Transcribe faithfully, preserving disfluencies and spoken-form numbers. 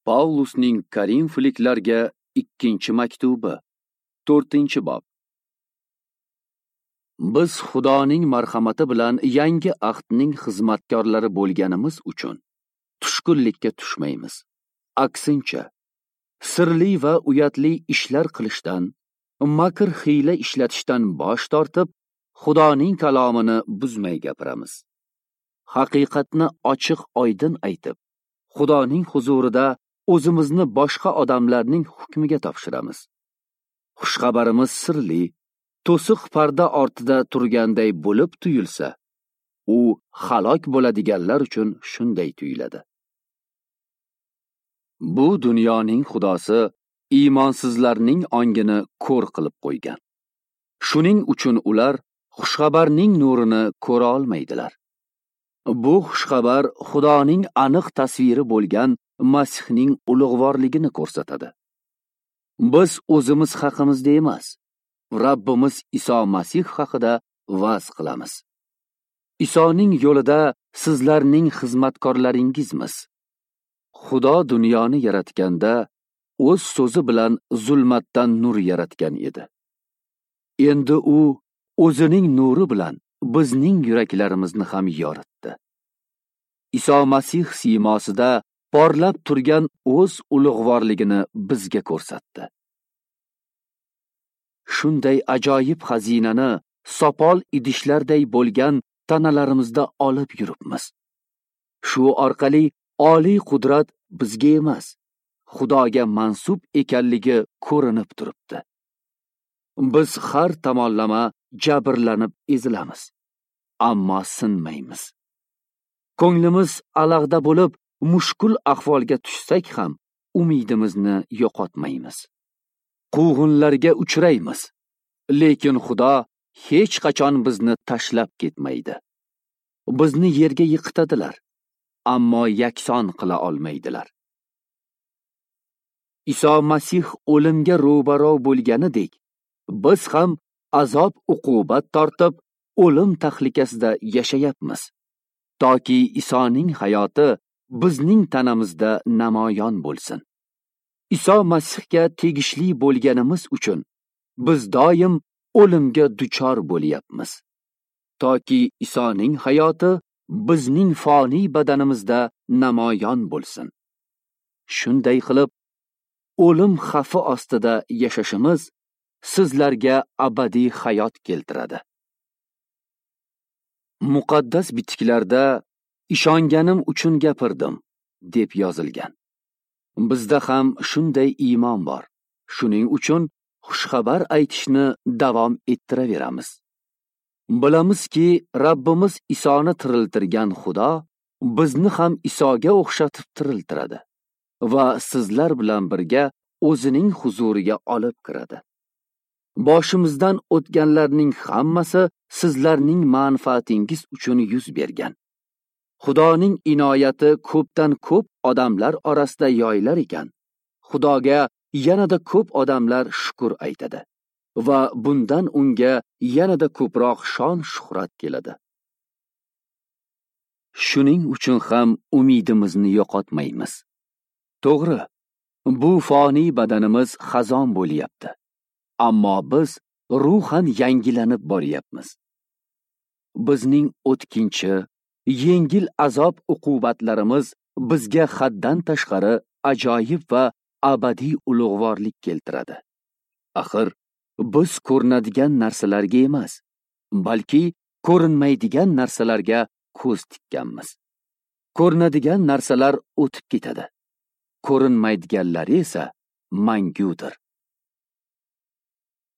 Pavlusning Korinfliklarga ikkinchi maktubi, to'rtinchi bob. Biz Xudoning marhamati bilan yangi ahdning xizmatkorlari bo'lganimiz uchun tushkunlikka tushmaymiz. Aksincha, sirli va uyatli ishlar qilishdan, makr hiyla ishlatishdan bosh tortib, Xudoning kalomini buzmay gapiramiz. Haqiqatni ochiq oydin aytib, Xudoning huzurida o'zimizni boshqa odamlarning hukmiga topshiramiz. Xushxabarimiz sirli, to'siq parda ortida turganday bo'lib tuyulsa, u halok bo'ladiganlar uchun shunday tuyuladi. Bu dunyoning xudosi iymonsizlarning ongini ko'r qilib qo'ygan. Shuning uchun ular xushxabarning nurini ko'ra olmaydilar. Bu xushxabar Xudoning aniq tasviri bo'lgan Masihning ulug'vorligini ko'rsatadi. Biz o'zimiz haqimizda emas, Rabbimiz Iso Masih haqida va'z qilamiz. Isoning yo'lida sizlarning xizmatkorlaringizmiz. Xudo dunyoni yaratganda o'z so'zi bilan zulmatdan nur yaratgan edi. Endi u o'zining nuri bilan bizning yuraklarimizni ham yoritdi. Iso Masih siymosida porlab turgan o'z ulug'vorligini bizga ko'rsatdi. Shunday ajoyib xazinani sopol idishlarday bo'lgan tanalarimizda olib yuribmiz. Shu orqali oliy qudrat bizga emas, Xudoga mansub ekanligi ko'rinib turibdi. Biz har tomonlama jabrlanib ezilamiz, ammo sinmaymiz. Ko'nglimiz alag'da bo'lib, mushkul ahvolga tushsak ham umidimizni yo'qotmaymiz. Quvg'inlarga uchraymiz, lekin Xudo hech qachon bizni tashlab ketmaydi. Bizni yerga yiqitadilar, ammo yakson qila olmaydilar. Iso Masih o'limga ro'baro bo'lganidek, biz ham azob uqubat tortib, o'lim tahlikasida yashayapmiz. Toki Isoning hayoti bizning tanamizda namoyon bo'lsin. Iso Masihga tegishli bo'lganimiz uchun biz doim o'limga duchor bo'lyapmiz. Toki Isoning hayoti bizning foniy badanimizda namoyon bo'lsin. Shunday qilib, o'lim xavfi ostida yashashimiz sizlarga abadiy hayot keltiradi. Muqaddas bitiklarda ishonganim uchun gapirdim deb yozilgan. Bizda ham shunday iymon bor. Shuning uchun xushxabar aytishni davom ettiraveramiz. Bilamizki, Rabbimiz Isoni tiriltirgan Xudo bizni ham Isoga o'xshatib tiriltiradi va sizlar bilan birga o'zining huzuriga olib kiradi. Boshimizdan o'tganlarning hammasi sizlarning manfaatingiz uchun yuz bergan. Xudoning inoyati ko'pdan ko'p odamlar orasida yoyilar ekan, Xudoga yanada ko'p odamlar shukr aytadi va bundan unga yanada ko'proq shon shuhrat keladi. Shuning uchun ham umidimizni yo'qotmaymiz. To'g'ri, bu foniy badanimiz xazon bo'lyapti, ammo biz ruhan yangilanib boryapmiz. Bizning o'tkinchi, yengil azob uqubatlarimiz bizga haddan tashqari ajoyib va abadiy ulug'vorlik keltiradi. Axir biz ko'rinadigan narsalarga emas, balki ko'rinmaydigan narsalarga ko'z tikkanmiz. Ko'rinadigan narsalar o'tib ketadi, ko'rinmaydiganlari esa mangudir.